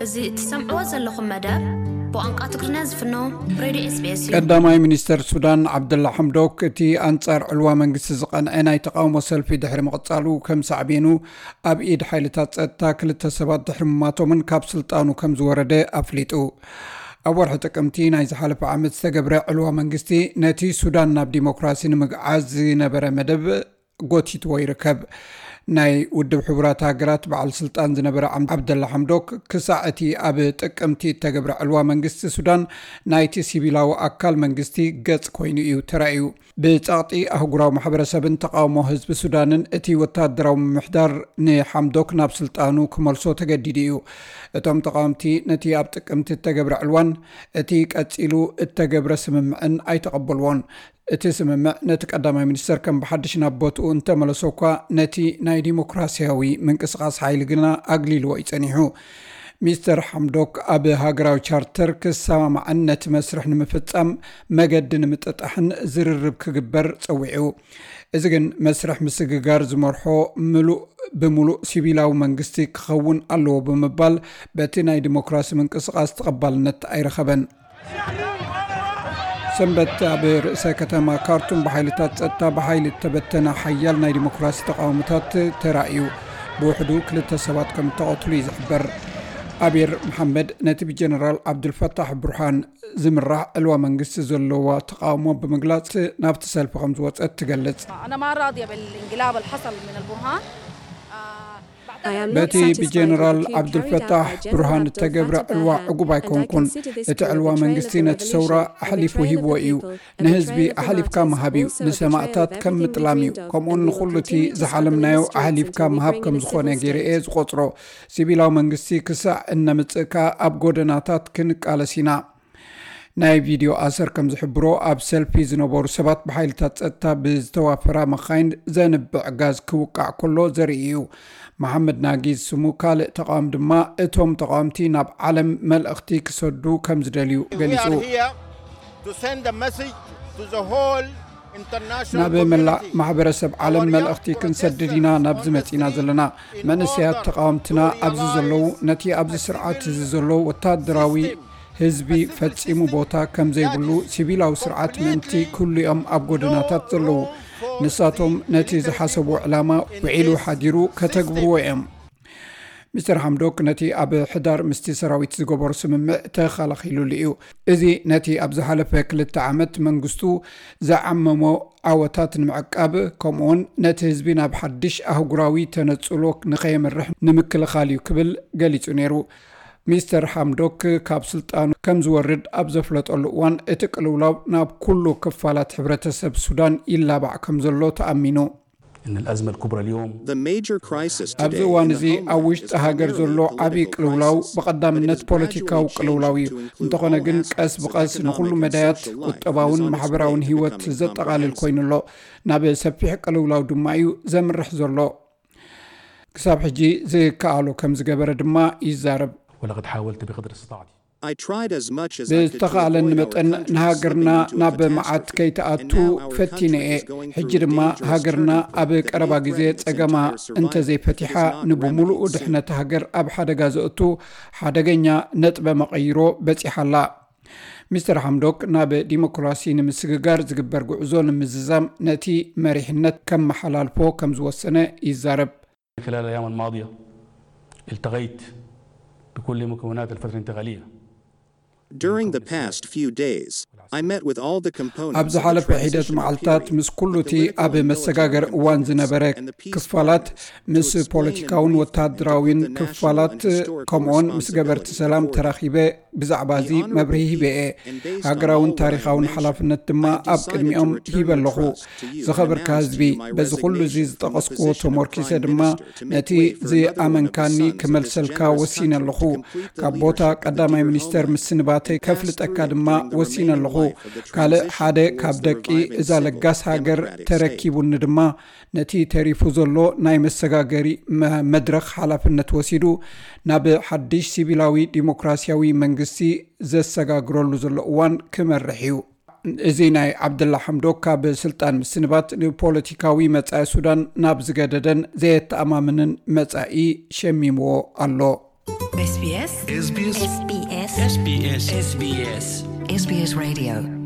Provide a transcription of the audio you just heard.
እዚ እትሰምዕዎ ዘለኹም መደብ ብቋንቋ ትግርኛ ዝፍኖ ሬድዮ ኤስቢኤስ እዩ። ቀዳማይ ሚኒስተር ሱዳን ዓብደላ ሓምዶክ፣ እቲ ኣንጻር ዕልዋ መንግስቲ ዝቐንዐ ናይ ተቓውሞ ሰልፊ ድሕሪ ምቕጻሉ፣ ከም ሳዕቤኑ ኣብ ኢድ ሓይልታት ጸጥታ ክልተ ሰባት ድሕሪ ምማቶምን ካብ ስልጣኑ ከም ዝወረደ ኣፍሊጡ። ኣብ ወርሒ ጥቅምቲ ናይ ዝሓለፈ ዓመት ዝተገብረ ዕልዋ መንግስቲ፣ ነቲ ሱዳን ናብ ዲሞክራሲ ንምግዓዝ ዝነበረ መደብ ጎቲትዎ ይርከብ። ናይ ውድብ ሕቡራት ሃገራት በዓል ስልጣን ዝነበረ ዓም- ዓብደላ ሓምዶክ፣ ክሳዕ እቲ ኣብ ጥቅምቲ እተገብረ ዕልዋ መንግስቲ ሱዳን፣ ናይቲ ሲቪላዊ ኣካል መንግስቲ ገጽ ኮይኑ እዩ ተራእዩ። ብጸቕጢ ኣህጉራዊ ማሕበረሰብን ተቓውሞ ህዝቢ ሱዳንን፣ እቲ ወታደራዊ ምምሕዳር ንሓምዶክ ናብ ስልጣኑ ክመልሶ ተገዲዱ እዩ። እቶም ተቓወምቲ፣ ነቲ ኣብ ጥቅምቲ እተገብረ ዕልዋን እቲ ቀጺሉ እተገብረ ስምምዕን ኣይተቐበልዎን። እቲ ስምምዕ ነቲ ቀዳማይ ሚኒስተር ከም ብሓድሽ ናብ ቦትኡ እንተመለሶ እኳ፣ ነቲ ናይ ዲሞክራሲያዊ ምንቅስቓስ ሓይሊ ግና ኣግሊልዎ እዩ ጸኒሑ። ሚስተር ሓምዶክ ኣብ ሃገራዊ ቻርተር ክሰማማዕን ነቲ መስርሕ ንምፍጻም መገዲ ንምጥጣሕን ዝርርብ ክግበር ጸዊዑ። እዚ ግን መስርሕ ምስግጋር ዝመርሖ ምሉእ ብምሉእ ሲቪላዊ መንግስቲ ክኸውን ኣለዎ ብምባል፣ በቲ ናይ ዲሞክራሲ ምንቅስቓስ ተቐባልነት ኣይረኸበን። ሰንበት ኣብ ርእሰ ከተማ ካርቱም ብሓይልታት ጸጥታ ብሓይሊ እተበተነ ሓያል ናይ ዲሞክራሲ ተቓውሞታት ተራእዩ። ብውሕዱ ክልተ ሰባት ከም እተቐትሉ እዩ ዝሕበር። ኣቤር መሓመድ ነቲ ብጀነራል ዓብዱልፈታሕ ብርሃን ዝምራሕ ዕልዋ መንግስቲ ዘለዋ ተቓውሞ ብምግላጽ፣ ናብቲ ሰልፊ ከም ዝወጸት ትገልጽ። أنا ما راضية بالانقلاب اللي حصل من البرهان. በቲ ብጀነራል ዓብዱልፈታሕ ብርሃን እተገብረ ዕልዋ ዕጉብ ኣይኮንኩን። እቲ ዕልዋ መንግስቲ ነቲ ሰውራ ኣሕሊፉ ሂብዎ እዩ። ንህዝቢ ኣሕሊፍካ ምሃብ እዩ፣ ንሰማእታት ከም ምጥላም እዩ። ከምኡውን ንኹሉ እቲ ዝሓለምናዮ ኣሕሊፍካ ምሃብ ከም ዝኾነ ገይረ እየ ዝቖጽሮ። ሲቪላዊ መንግስቲ ክሳዕ እነምጽእ ከኣ ኣብ ጎደናታት ክንቃለስ ኢና። ናይ ቪድዮ ኣሰር ከም ዝሕብሮ፣ ኣብ ሰልፊ ዝነበሩ ሰባት ብሓይልታት ጸጥታ ብዝተዋፈራ መኻይን ዘንብዕ ጋዝ ክውቃዕ ከሎ ዘርኢ እዩ። መሓመድ ናጊዝ ስሙ ካልእ ተቓዋሚ ድማ፣ እቶም ተቓወምቲ ናብ ዓለም መልእኽቲ ክሰዱ ከም ዝደልዩ ገሊጹ። ናብ መላእ ማሕበረሰብ ዓለም መልእኽቲ ክንሰድድ ኢና ናብዚ መጺና ዘለና። መንእሰያት ተቓወምትና ኣብዚ ዘለዉ፣ ነቲ ኣብዚ ስርዓት እዚ ዘሎ ወታደራዊ ህዝቢ ፈጺሙ ቦታ ከም ዘይብሉ፣ ሲቪላዊ ስርዓት ምእንቲ ክህሉ እዮም ኣብ ጎደናታት ዘለዉ። ንሳቶም ነቲ ዝሓሰብዎ ዕላማ ውዒሉ ሓዲሩ ከተግብርዎ እዮም። ሚስተር ሓምዶክ ነቲ ኣብ ሕዳር ምስቲ ሰራዊት ዝገበሮ ስምምዕ ተኸላኺሉሉ እዩ። እዚ ነቲ ኣብ ዝሓለፈ ክልተ ዓመት መንግስቱ ዝዓመሞ ዓወታት ንምዕቃብ፣ ከምኡውን ነቲ ህዝቢ ናብ ሓድሽ ኣህጉራዊ ተነጽሎ ንኸየምርሕ ንምክልኻል እዩ ክብል ገሊጹ ነይሩ። ሚስተር ሓምዶክ ካብ ስልጣኑ ከም ዝወርድ ኣብ ዘፍለጠሉ እዋን፣ እቲ ቅልውላው ናብ ኩሉ ክፋላት ሕብረተሰብ ሱዳን ይላባዕ ከም ዘሎ ተኣሚኑ። إن الأزمة الكبرى اليوم The major crisis ኣብዚ today እዋን in እዚ the Home ኣብ is ውሽጢ ሃገር primarily ዘሎ a ዓብዪ political ቅልውላው crisis, but ብቐዳምነት it is ፖለቲካዊ gradually ቅልውላው እዩ። changing to እንተኾነ include ግን all ቀስ ብቐስ aspects of ንኹሉ economic and መዳያት social life, ቁጠባውን as much ማሕበራውን today ህይወት becoming ዘጠቓልል comprehensive. ኮይኑ ኣሎ። ናብ ሰፊሕ ቅልውላው ድማ እዩ ዘምርሕ ዘሎ። ክሳብ ሕጂ ዝከኣሎ ከም ዝገበረ ድማ ይዛረብ። ولقد حاولت بقدر استطاعتي. I tried as much as I could to ብዝተኻእለኒ avoid our መጠን country ንሃገርና slipping into ናብ a መዓት catastrophe, ከይትኣቱ and now our ፈቲነ country እየ። is going ሕጂ through a ድማ dangerous ሃገርና turn ኣብ that ቀረባ may ግዜ threaten its ጸገማ entire survival if it is እንተዘይፈቲሓ not ንብምሉኡ remedied soon. ድሕነት ሃገር ኣብ ሓደጋ ዘእቱ ሓደገኛ ነጥበ መቐይሮ በጺሓ ኣላ። ሚስተር ሓምዶክ ናብ ዲሞክራሲ ንምስግጋር ዝግበር ጉዕዞ ንምዝዛም ነቲ መሪሕነት ከመሓላልፎ ከም ዝወሰነ ይዛረብ። خلال الأيام الماضية التقيت بكل مكونات الفترة الانتقالية. During the past few days, I met with all the components ኣብ of the ዝሓለፈ ሒደት transitional መዓልታት period, ምስ ኩሉ the እቲ guerrilla ኣብ military መሰጋገሪ እዋን components, ዝነበረ and the peace ክፋላት partners, to ምስ explain in ፖለቲካውን brief and to ወታደራውን put the national ክፋላት and historical ከምኡውን ምስ responsibility ገበርቲ ሰላም forward. ተራኺበ ብዛዕባ እዚ The Honorable መብርሂ ሂበ People, እየ። and based on ሃገራውን all what I ታሪኻውን mentioned, ሓላፍነት ድማ I have ኣብ decided ቅድሚኦም to return ሂበ the ኣለኹ። trust to you and ዝኸበርካ announce ህዝቢ፣ to you my በዚ ኩሉ እዚ resignation from the ዝጠቐስክዎ position of ተሞርኪሰ Prime ድማ Minister to make ነቲ way for another one of the ዝኣመንካኒ sons of this ክመልሰልካ generous ወሲነ country ኣለኹ። to complete the ካብ ቦታ leadership of the ቀዳማይ dear ሚኒስተር homeland ምስንባተይ and pass ከፍልጠካ through it ድማ during the ወሲነ remaining ኣለኹ። life of the ካልእ transition ሓደ ካብ towards the ደቂ reviving እዛ second ለጋስ ሃገር democratic state. ተረኪቡኒ ድማ፣ ነቲ ተሪፉ ዘሎ ናይ መሰጋገሪ መ-፣ መድረኽ ሓላፍነት ወሲዱ ናብ ሓድሽ ሲቪላዊ ዲሞክራሲያዊ መንግስቲ ዘሰጋግረሉ ዘሎ እዋን ክመርሕ እዩ። እዚ ናይ ዓብደላ ሓምዶክ ካብ ስልጣን ምስንባት ንፖለቲካዊ መጻኢ ሱዳን ናብ ዝገደደን ዘየተኣማምንን መጻኢ ሸሚምዎ ኣሎ። SBS SBS SBS SBS SBS Radio